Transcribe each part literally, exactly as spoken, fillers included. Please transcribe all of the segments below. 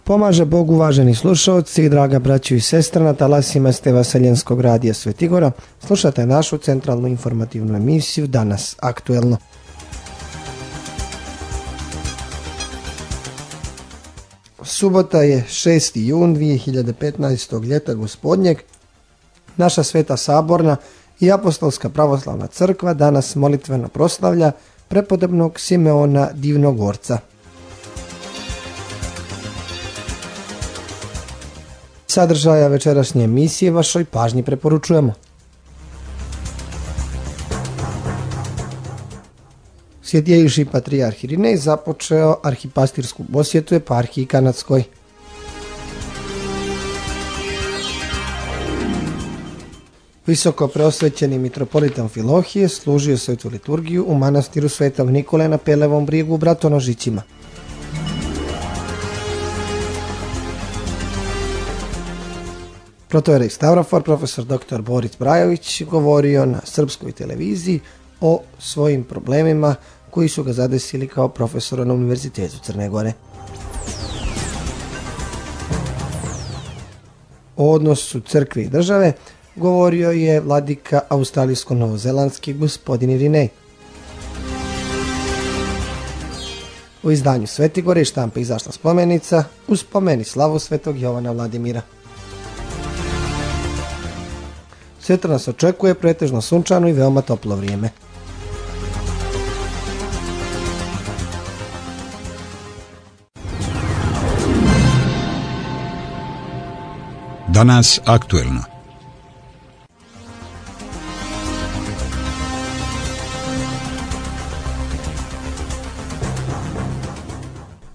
Pomaže Bog, uvaženi slušalci, draga braćo i sestra, na talasima ste Vaseljenskog radija Svetigora. Slušate našu centralnu informativnu emisiju Danas aktuelno. Subota je šesti jun dvije hiljade petnaestog. ljeta gospodnjeg. Naša Sveta Saborna i Apostolska pravoslavna crkva danas molitveno proslavlja prepodobnog Simeona Divnogorca. Sadržaja večerašnje emisije vašoj pažnji preporučujemo. Svjetejši patrijarh Irinej započeo arhipastirsku posjetu eparhiji Kanadskoj. Visoko preosvećeni mitropolit Amfilohije služio svetu liturgiju u manastiru Svetog Nikole na Pelevom Brijegu u Bratonožićima. Protojerej Stavrofor, profesor doktor Boris Brajović, govorio na srpskoj televiziji o svojim problemima koji su ga zadesili kao profesora na Univerzitetu Crne Gore. O odnosu crkve i države govorio je vladika australijsko-novozelandski gospodin Irinej. U izdanju Svetigore i štampe izašla spomenica u spomeni slavu svetog Jovana Vladimira. Sutra nas očekuje pretežno sunčano i veoma toplo vrijeme. Danas aktuelno.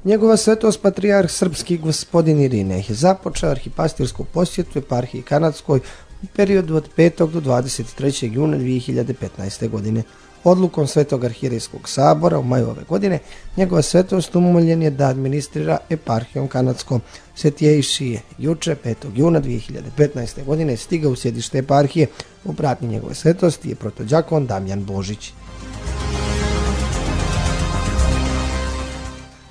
Njegova svetost patrijarh srpski gospodin Irinej je započeo arhipastirsku posjetu eparhiji Kanadskoj u periodu od petog do dvadeset trećeg juna dvije hiljade petnaeste. godine. Odlukom Svetog arhirejskog sabora u maju ove godine njegova svetost umoljen je da administrira eparhijom Kanadskom. Svetjejši je juče petog juna dvije hiljade petnaeste. godine stigao u sjedište eparhije. U pratnji njegove svetosti je protodjakon Damjan Božić.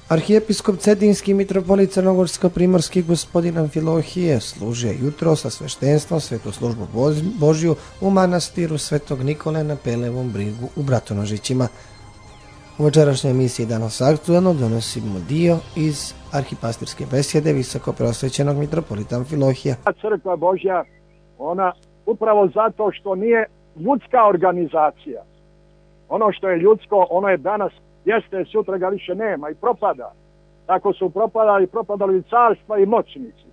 Arhijepiskop Cetinski mitropolit Crnogorsko-primorski gospodin Amfilohije služio jutro sa sveštenstvom svetu službu Božju u manastiru Svetog Nikole na Pelevom Brijegu u Bratonožićima. U večerašnjoj emisiji Danas aktuelno donosimo dio iz arhipastirske besjede visoko preosvećenog mitropolita Amfilohija. Crkva Božja, ona upravo zato što nije ljudska organizacija. Ono što je ljudsko, ono je danas jeste, sutra ga više nema i propada. Tako su propadali, propadali carstva i moćnici.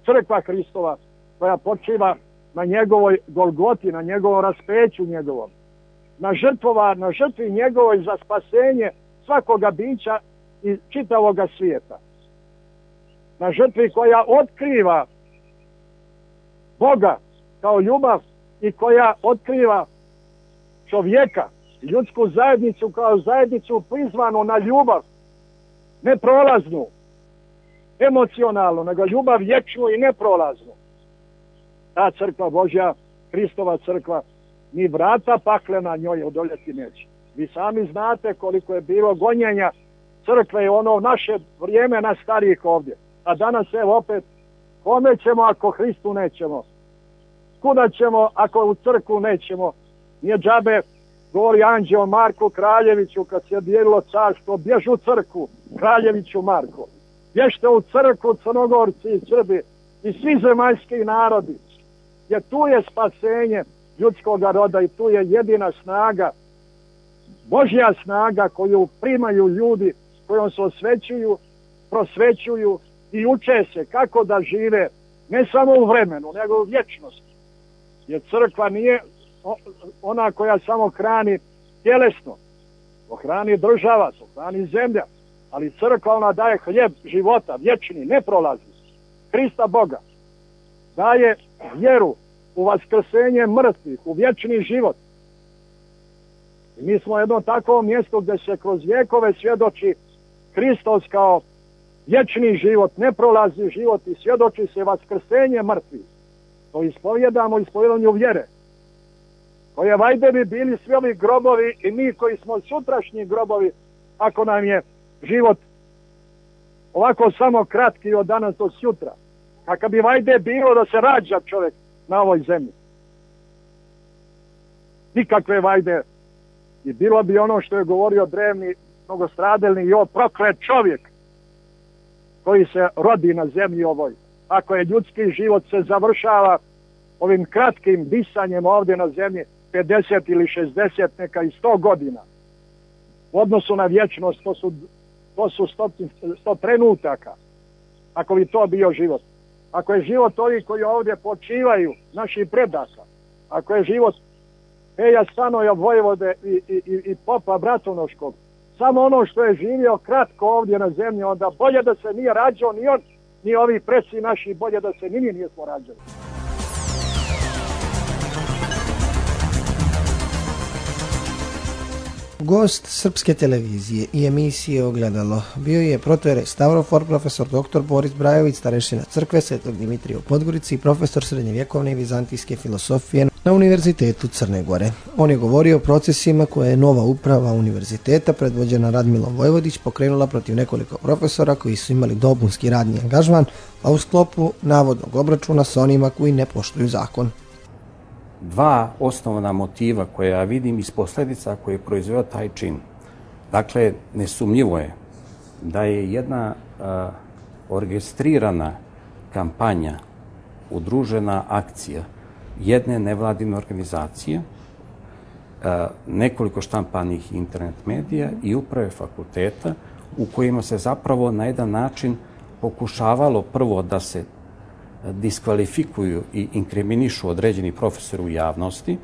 Crkva Hristova koja počiva na njegovoj Golgoti, na njegovom raspeću njegovom, na žrtvova, na žrtvi njegovoj za spasenje svakoga bića i čitavoga svijeta. Na žrtvi koja otkriva Boga kao ljubav i koja otkriva čovjeka, ljudsku zajednicu kao zajednicu prizvanu na ljubav, ne prolaznu, emocionalnu, nego ljubav vječnu i neprolaznu. Ta crkva Božja, Hristova crkva, ni vrata paklena njoj odoljeti neće. Vi sami znate koliko je bilo gonjenja crkve i ono naše vrijeme na starijih ovdje. A danas evo opet, kome ćemo ako Hristu nećemo? Kuda ćemo ako u crkvu nećemo? Nije džabe, govori anđeo Marku Kraljeviću kad se je dijelilo carstvo, bjež u crkvu, Kraljeviću Marko. Bježte u crkvu, Crnogorci i Srbi i svi zemaljski narodi. Jer tu je spasenje ljudskog roda i tu je jedina snaga, Božja snaga koju primaju ljudi, kojom se osvećuju, prosvećuju i uče se kako da žive ne samo u vremenu, nego u vječnosti. Jer crkva nije ona koja samo hrani tjelesno, to hrani država, to hrani zemlja, ali crkva ona daje hljeb života, vječni, neprolazni, Hrista Boga. Daje vjeru u vaskrsenje mrtvih, u vječni život. I mi smo jedno takvo mjesto gdje se kroz vjekove svjedoči Hristos kao vječni život, neprolazni život i svjedoči se vaskrsenje mrtvih. To ispovjedamo u ispovjedanju vjere. Koje vajde bi bili svi ovi grobovi i mi koji smo sutrašnji grobovi, ako nam je život ovako samo kratki od danas do sutra. Kakav bi vajde bilo da se rađa čovjek na ovoj zemlji. Nikakve vajde. I bilo bi ono što je govorio drevni mnogostradelni i o proklet čovjek koji se rodi na zemlji ovoj. Ako je ljudski život se završava ovim kratkim disanjem ovdje na zemlji pedeset ili šezdeset, neka i sto godina. U odnosu na vječnost to su, to su sto, sto trenutaka. Ako bi to bio život. Ako je život ovi koji ovdje počivaju, naših predaka. Ako je život Peja Stanoja Vojvode i, i, i popa Bratunoškog. Samo ono što je živio kratko ovdje na zemlji, onda bolje da se nije rađao ni on, ni ovi preci naši, bolje da se ni mi nismo rađali. Gost Srpske televizije i emisije Ogledalo bio je protojerej Stavrofor, profesor doktor Boris Brajović, starešina crkve Svetog Dimitrija u Podgorici i profesor srednjevjekovne i vizantijske filosofije na Univerzitetu Crne Gore. On je govorio o procesima koje je nova uprava univerziteta, predvođena Radmilom Vojvodić, pokrenula protiv nekoliko profesora koji su imali dopunski radni angažman, a u sklopu navodnog obračuna sa onima koji ne poštuju zakon. Dva osnovna motiva koje ja vidim iz posljedica koje je proizveo taj čin. Dakle, nesumnjivo je da je jedna uh, orkestrirana kampanja, udružena akcija jedne nevladine organizacije, uh, nekoliko štampanih internet medija i uprave fakulteta u kojima se zapravo na jedan način pokušavalo prvo da se diskvalifikuju i inkriminišu određeni profesori u javnosti,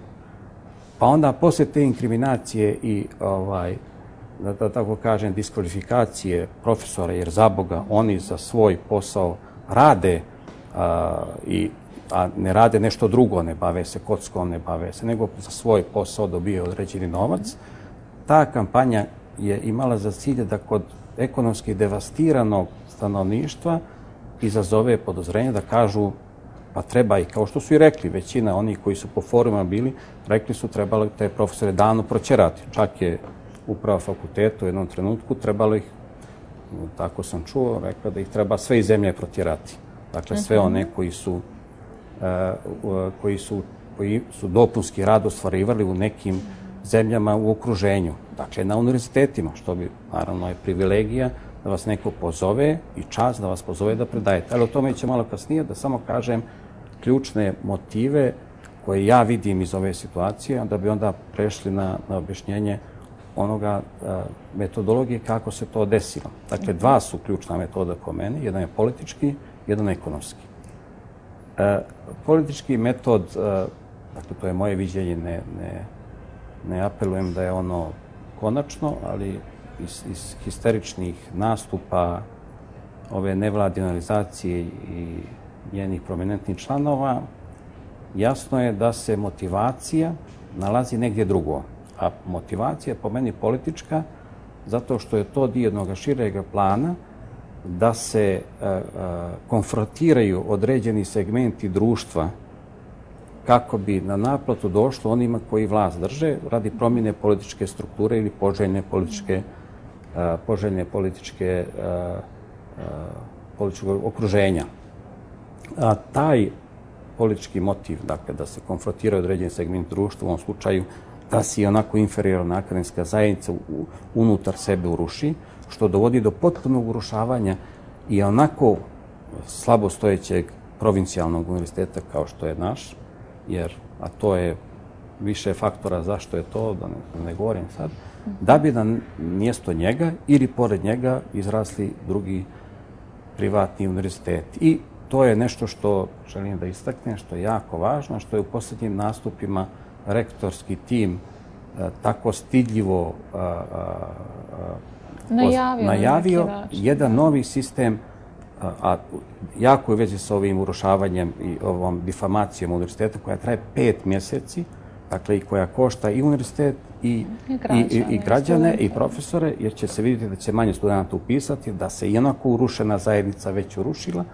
pa onda posle te inkriminacije i ovaj, da, da tako kažem, diskvalifikacije profesora, jer za Boga oni za svoj posao rade a, i, a ne rade nešto drugo, ne bave se kockom, ne bave se, nego za svoj posao dobije određeni novac. Ta kampanja je imala za cilj da kod ekonomski devastiranog stanovništva izazove podozrenje da kažu pa treba i, kao što su i rekli, većina onih koji su po forumima bili, rekli su trebalo te profesore davno proćerati. Čak je uprava fakulteta u jednom trenutku trebalo ih, tako sam čuo, rekla da ih treba sve iz zemlje protjerati. Dakle, sve one koji su, uh, koji su, koji su dopunski rad ostvarivali u nekim zemljama u okruženju. Dakle, na univerzitetima, što bi, naravno, je privilegija da vas neko pozove i čast da vas pozove da predajete. Ali o tome će malo kasnije, da samo kažem ključne motive koje ja vidim iz ove situacije, da bi onda prešli na, na objašnjenje onoga a, metodologije kako se to desilo. Dakle, dva su ključna metoda po meni, jedan je politički, jedan ekonomski. E, politički metod, a, dakle, to je moje viđenje, ne, ne, ne apelujem da je ono konačno, ali iz, iz histeričnih nastupa ove nevladine organizacije i njenih prominentnih članova, jasno je da se motivacija nalazi negdje drugo. A motivacija je po meni politička, zato što je to dio jednog šireg plana da se a, a, konfrontiraju određeni segmenti društva kako bi na naplatu došlo onima koji vlast drže radi promjene političke strukture ili poželjne političke, a, poželjne političke, a, a, političkog okruženja. A taj politički motiv, dakle, da se konfrontiraju određeni segment društva, u ovom slučaju da se i onako inferiorna akademska zajednica u, unutar sebe uruši, što dovodi do potpunog urušavanja i onako slabostojećeg provincijalnog univerziteta kao što je naš, jer, a to je više faktora zašto je to, da ne, ne govorim sad, da bi na mjesto njega ili pored njega izrasli drugi privatni univerzitet. I to je nešto što želim da istaknem, što je jako važno, što je u posljednjim nastupima rektorski tim a, tako stidljivo a, a, najavio, najavio jedan novi sistem, a, a jako je u vezi sa ovim urušavanjem i ovom difamacijom univerziteta koja traje pet mjeseci, dakle i koja košta i univerzitet i, I građane, i, i, i, građane, studente. i profesore, jer će se vidjeti da će manje studenta upisati, da se i onako urušena zajednica već urušila.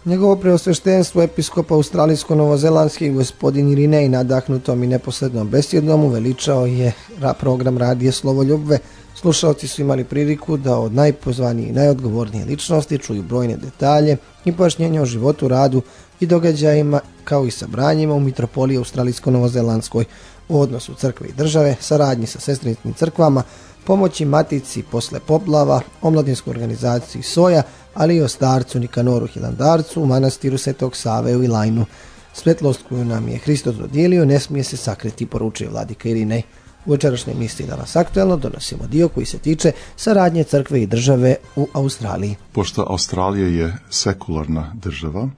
Njegovo preosveštenstvo episkopa australijsko-novozelandski gospodin Irinej nadahnutom i neposrednom besjedom uveličao je program radije Slovoljubve. Slušalci su imali priliku da od najpozvanije i najodgovornije ličnosti čuju brojne detalje i pojašnjenja o životu, radu i događajima, kao i sabranjima u mitropoliji australijsko-novozelandskoj, u odnosu crkve i države, saradnji sa sestrinskim crkvama, pomoći matici posle poplava, omladinskoj organizaciji Soja, ali i o starcu Nikanoru Hilandarcu u manastiru Svetog Save u Ilajnu. Svetlost koju nam je Hristos dodijelio ne smije se sakriti, poručuje vladika Irinej. U večerašnjoj emisiji Danas aktuelno donosimo dio koji se tiče saradnje crkve i države u Australiji. Pošto Australija je sekularna država,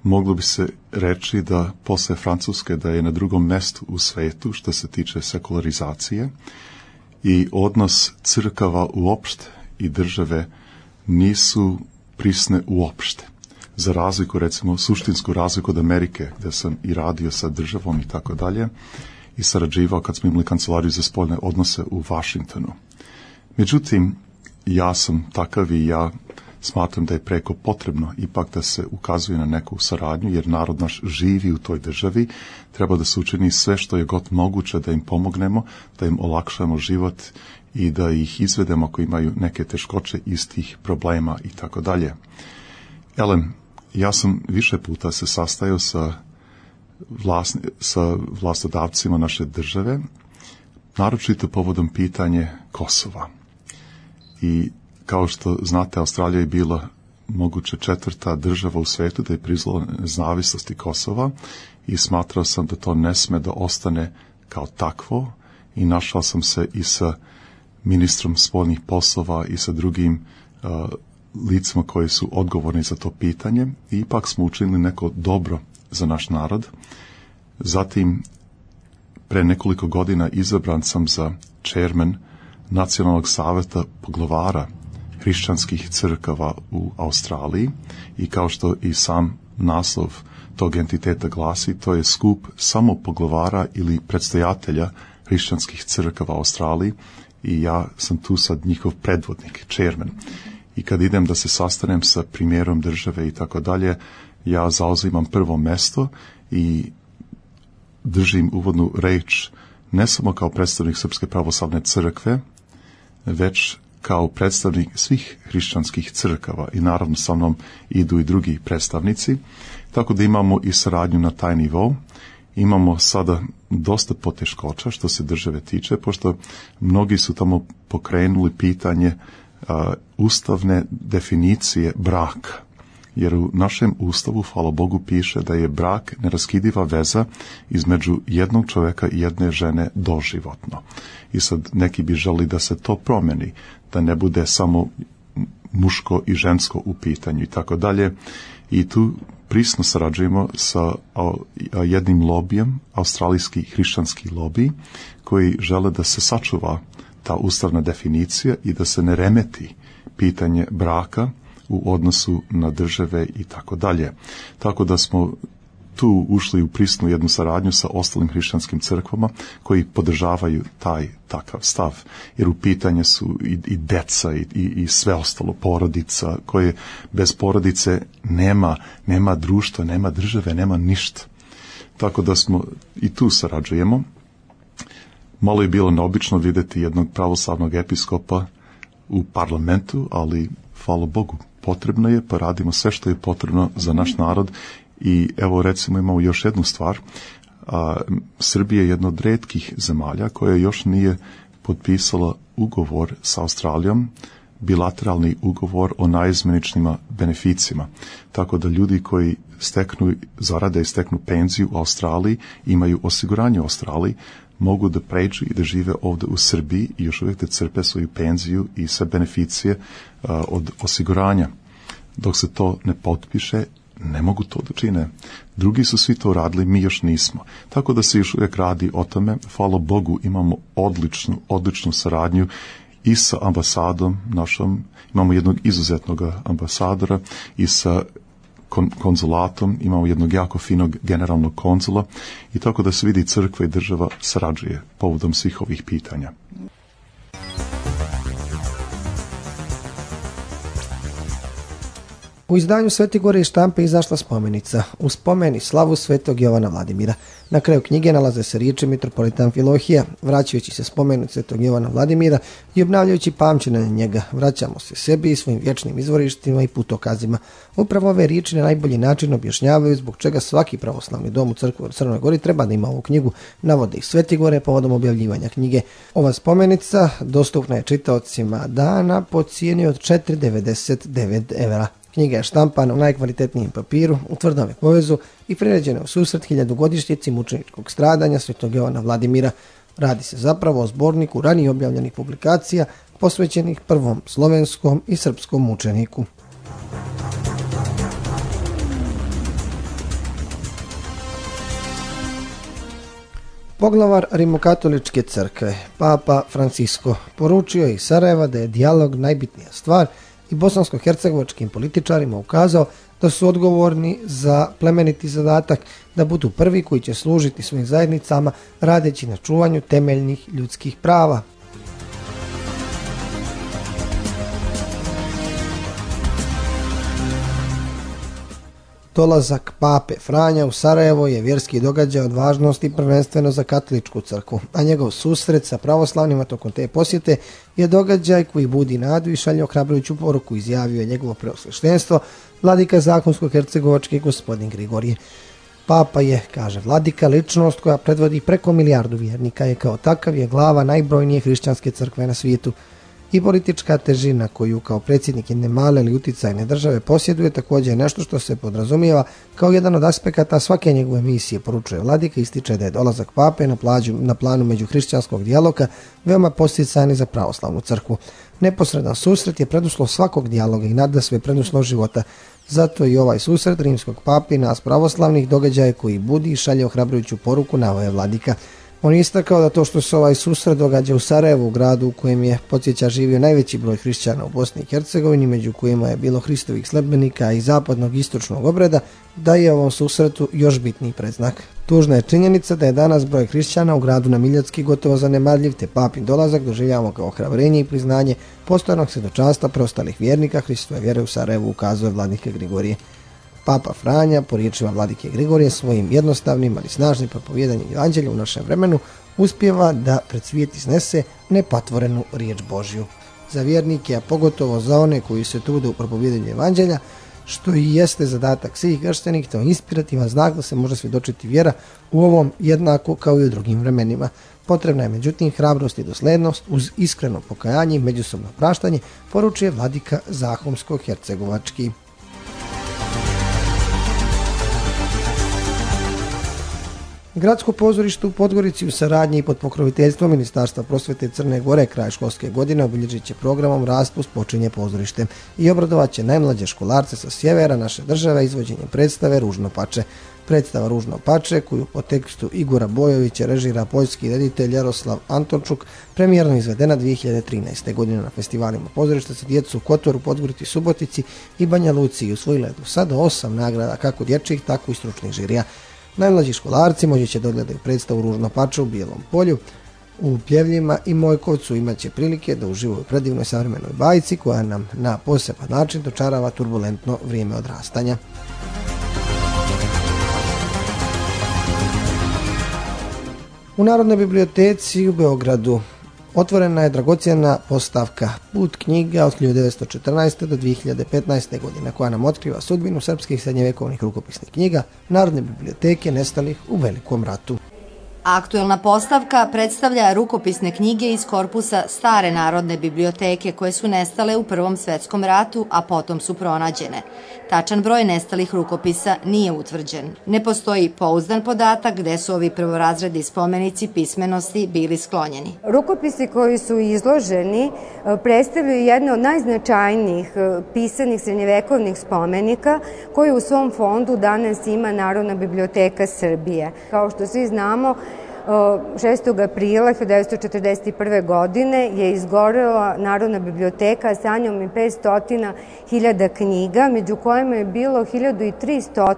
moglo bi se reći da posle Francuske da je na drugom mestu u svetu što se tiče sekularizacije i odnos crkava uopšte i države nisu prisne uopšte. Za razliku, recimo, suštinsku razliku od Amerike, gdje sam i radio sa državom i tako dalje, i sarađivao kad smo imali kancelariju za spoljne odnose u Washingtonu. Međutim, ja sam takav i ja smatram da je preko potrebno ipak da se ukazuje na neku saradnju, jer narod naš živi u toj državi, treba da se učini sve što je god moguće da im pomognemo, da im olakšamo život i da ih izvedemo ako imaju neke teškoće iz tih problema i tako dalje. Elem, ja sam više puta se sastajao sa, vlasni, sa vlastodavcima naše države, naročito povodom pitanje Kosova. I kao što znate, Australija je bila moguće četvrta država u svetu da je priznala nezavisnosti Kosova i smatrao sam da to ne sme da ostane kao takvo i našao sam se i sa ministrom spoljnih poslova i sa drugim uh, licima koji su odgovorni za to pitanje i ipak smo učinili neko dobro za naš narod. Zatim, pre nekoliko godina izabran sam za chairman Nacionalnog saveta poglavara hrišćanskih crkava u Australiji i kao što i sam naslov tog entiteta glasi, to je skup samo poglavara ili predstojatelja hrišćanskih crkava u Australiji i ja sam tu sad njihov predvodnik, chairman. I kad idem da se sastanem sa premijerom države i tako dalje, ja zauzimam prvo mesto i držim uvodnu reč ne samo kao predstavnik Srpske pravoslavne crkve, već kao predstavnik svih hrišćanskih crkava i naravno sa mnom idu i drugi predstavnici, tako da imamo i saradnju na taj nivou. Imamo sada dosta poteškoća što se države tiče, pošto mnogi su tamo pokrenuli pitanje a, ustavne definicije braka. Jer u našem ustavu, hvala Bogu, piše da je brak neraskidiva veza između jednog čovjeka i jedne žene doživotno. I sad neki bi želi da se to promeni, da ne bude samo muško i žensko u pitanju i tako dalje. I tu prisno sarađujemo sa jednim lobijem, australijski hrišćanski lobij, koji žele da se sačuva ta ustavna definicija i da se ne remeti pitanje braka u odnosu na države i tako dalje. Tako da smo tu ušli u prisnu jednu saradnju sa ostalim hrišćanskim crkvama koji podržavaju taj takav stav. Jer u pitanje su i, i deca i, i, i sve ostalo, porodica, koje bez porodice nema, nema društva, nema države, nema ništa. Tako da smo i tu sarađujemo. Malo je bilo neobično vidjeti jednog pravoslavnog episkopa u parlamentu, ali hvala Bogu, potrebno je, pa radimo sve što je potrebno za naš narod. I evo recimo imamo još jednu stvar. A, Srbija je jedna od retkih zemalja koja još nije potpisala ugovor sa Australijom, bilateralni ugovor o najizmeničnima beneficima. Tako da ljudi koji steknu zarade i steknu penziju u Australiji, imaju osiguranje u Australiji, mogu da pređu i da žive ovdje u Srbiji i još uvijek da crpe svoju penziju i sve beneficije a, od osiguranja. Dok se to ne potpiše, ne mogu to da čine. Drugi su svi to radili, mi još nismo. Tako da se još uvijek radi o tome. Hvala Bogu, imamo odličnu, odličnu saradnju i sa ambasadom našom. Imamo jednog izuzetnog ambasadora i sa kon- konzulatom. Imamo jednog jako finog generalnog konzula i tako da se vidi crkva i država sarađuje povodom svih ovih pitanja. U izdanju Svete Gore iz štampe izašla spomenica u spomeni slavu Svetog Jovana Vladimira. Na kraju knjige nalaze se riječi mitropolita Amfilohija. Vraćajući se spomenu Svetog Jovana Vladimira i obnavljajući pamćenje na njega, vraćamo se sebi i svojim vječnim izvorištima i putokazima. Upravo ove riječi na najbolji način objašnjavaju zbog čega svaki pravoslavni dom u crkvi u Crnoj Gori treba da ima ovu knjigu, navode ih Svete Gore povodom objavljivanja knjige. Ova spomenica dostupna je čitaocima dana po cijeni od četiri devedeset devet evra. Knjiga je štampana u najkvalitetnijem papiru, u tvrdome povezu i priređena u susret hiljadugodišnjici mučeničkog stradanja Svetog Jovana Vladimira. Radi se zapravo o zborniku ranije objavljenih publikacija posvećenih prvom slovenskom i srpskom mučeniku. Poglavar Rimokatoličke crkve, Papa Francisco, poručio je iz Sarajeva da je dijalog najbitnija stvar i bosansko-hercegovačkim političarima ukazao da su odgovorni za plemeniti zadatak da budu prvi koji će služiti svojim zajednicama radeći na čuvanju temeljnih ljudskih prava. Dolazak Pape Franja u Sarajevo je vjerski događaj od važnosti prvenstveno za katoličku crkvu, a njegov susret sa pravoslavnima tokom te posjete je događaj koji budi nadu i šalje ohrabrujuću poruku, izjavio je njegovo preosveštenstvo vladika zakonsko-hercegovački gospodin Grigorije. Papa je, kaže vladika, ličnost koja predvodi preko milijardu vjernika i kao takav je glava najbrojnije hrišćanske crkve na svijetu. I politička težina koju kao predsjednik jedne male ili uticajne države posjeduje također je nešto što se podrazumijeva kao jedan od aspekata svake njegove misije, poručuje vladika, ističe da je dolazak pape na, plađu, na planu međuhrišćanskog dijaloga veoma posticajan za pravoslavnu crkvu. Neposredan susret je preduslov svakog dijaloga i nadasve preduslov života. Zato i ovaj susret rimskog papi nas pravoslavnih događaja koji budi i šalje ohrabrujuću poruku, naveo vladika. On je istakao da to što se ovaj susret događa u Sarajevu, u gradu u kojem je, podsjeća, živio najveći broj hrišćana u Bosni i Hercegovini, među kojima je bilo Hristovih sledbenika i zapadnog istočnog obreda, da je ovom susretu još bitniji predznak. Tužna je činjenica da je danas broj hrišćana u gradu na Miljacki gotovo zanemarljiv, te papin dolazak doživljavamo kao ohrabrenje i priznanje postojanog svjedočanstva preostalih vjernika Hristove vjere u Sarajevu, ukazuje vladike Grigorije. Papa Franja, po riječima vladike Grigorije, svojim jednostavnim, ali snažnim propovijedanjem evanđelja u našem vremenu uspijeva da pred svijet iznese nepatvorenu riječ Božju. Za vjernike, a pogotovo za one koji se trude u propovijedanju evanđelja, što i jeste zadatak svih kršćanih, to je inspirativan znak da se može svjedočiti vjera u ovom jednako kao i u drugim vremenima. Potrebna je međutim hrabrost i doslednost uz iskreno pokajanje i međusobno praštanje, poručuje vladika Zahumsko-hercegovački. Gradsko pozorište u Podgorici u saradnji i pod pokroviteljstvom Ministarstva prosvjete Crne Gore kraj školske godine obilježit će programom Raspust počinje pozorište i obradovat će najmlađe školarce sa sjevera naše države izvođenjem predstave Ružno pače. Predstava Ružno pače, koju po tekstu Igora Bojovića režira poljski reditelj Jaroslav Antončuk, premijerno izvedena dvije hiljade trinaeste. godine na festivalima pozorišta za djecu u Kotoru, Podgorici, Subotici i Banja Luci i osvojila je do sada osam nagrada kako dječjih, tako i stručnih žirija. Najmlađi školarci moći će dogledati predstavu Ružno pače u Bijelom polju, u Pljevljima i Mojkovcu imat će prilike da uživaju u predivnoj savremenoj bajci koja nam na poseban način dočarava turbulentno vrijeme odrastanja. U Narodnoj biblioteci u Beogradu otvorena je dragocjena postavka Put knjiga od hiljadu devetsto četrnaeste. do dvije hiljade petnaeste. godine koja nam otkriva sudbinu srpskih srednjevjekovnih rukopisnih knjiga Narodne biblioteke nestalih u Velikom ratu. Aktuelna postavka predstavlja rukopisne knjige iz korpusa Stare Narodne biblioteke koje su nestale u Prvom svjetskom ratu, a potom su pronađene. Tačan broj nestalih rukopisa nije utvrđen. Ne postoji pouzdan podatak gde su ovi prvorazredni spomenici pismenosti bili sklonjeni. Rukopisi koji su izloženi predstavljaju jedno od najznačajnijih pisanih srednjevekovnih spomenika koji u svom fondu danas ima Narodna biblioteka Srbije. Kao što svi znamo, šestog aprila hiljadu devetsto četrdeset prve. godine je izgorela Narodna biblioteka sa njom i petsto hiljada knjiga, među kojima je bilo hiljadu tristo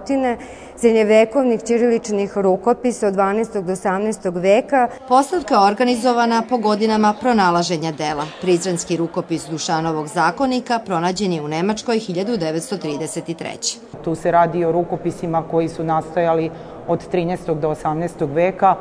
srednjevekovnih ćiriličnih rukopisa od dvanaestog do osamnaestog veka. Postavka je organizovana po godinama pronalaženja dela. Prizrenski rukopis Dušanovog zakonika pronađen je u Nemačkoj hiljadu devetsto trideset treće. Tu se radi o rukopisima koji su nastojali od trinaestog do osamnaestog veka.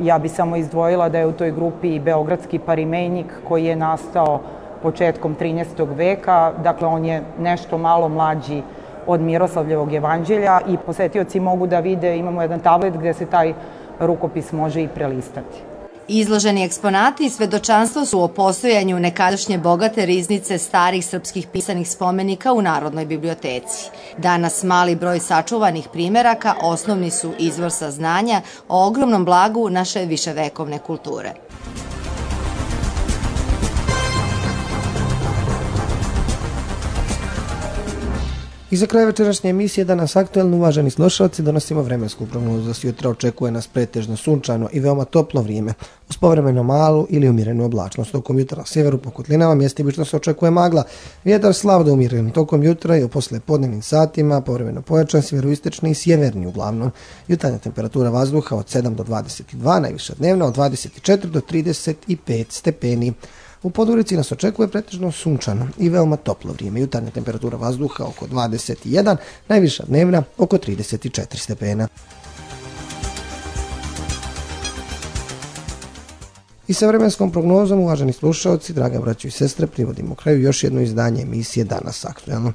Ja bi samo izdvojila da je u toj grupi i beogradski parimejnik koji je nastao početkom trinaestog veka. Dakle, on je nešto malo mlađi od Miroslavljevog jevanđelja i posetioci mogu da vide, imamo jedan tablet gde se taj rukopis može i prelistati. Izloženi eksponati i svedočanstvo su o postojanju nekadašnje bogate riznice starih srpskih pisanih spomenika u Narodnoj biblioteci. Danas mali broj sačuvanih primeraka osnovni su izvor saznanja o ogromnom blagu naše viševekovne kulture. I za kraj večerašnje emisije Danas aktuelno, uvaženi slušalci, donosimo vremensku prognozu. Za sutra očekuje nas pretežno sunčano i veoma toplo vrijeme, uz povremeno malu ili umjerenu oblačnost. Tokom jutra na sjeveru po kotlinama mjestimično se očekuje magla. Vjetar slab do umjeren tokom jutra i u poslijepodnevnim satima povremeno pojačan sjeveroistočni i sjeverni uglavnom. Jutarnja temperatura vazduha od sedam do dvadeset dva, najviša dnevna od dvadeset četiri do trideset pet stepeni. U Podgorici nas očekuje pretežno sunčano i veoma toplo vrijeme. Jutarnja temperatura vazduha oko dvadeset jedan, najviša dnevna oko trideset četiri stepena. I sa vremenskom prognozom, uvaženi slušalci, draga braćo i sestre, privodimo kraju još jedno izdanje emisije Danas aktuelno.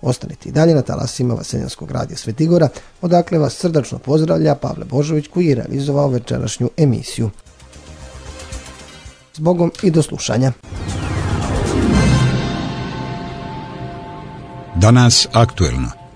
Ostanite i dalje na talasima Vaseljanskog radija Svetigora, odakle vas srdačno pozdravlja Pavle Božović, koji je realizovao večerašnju emisiju. S Bogom i do slušanja. Danas aktuelno.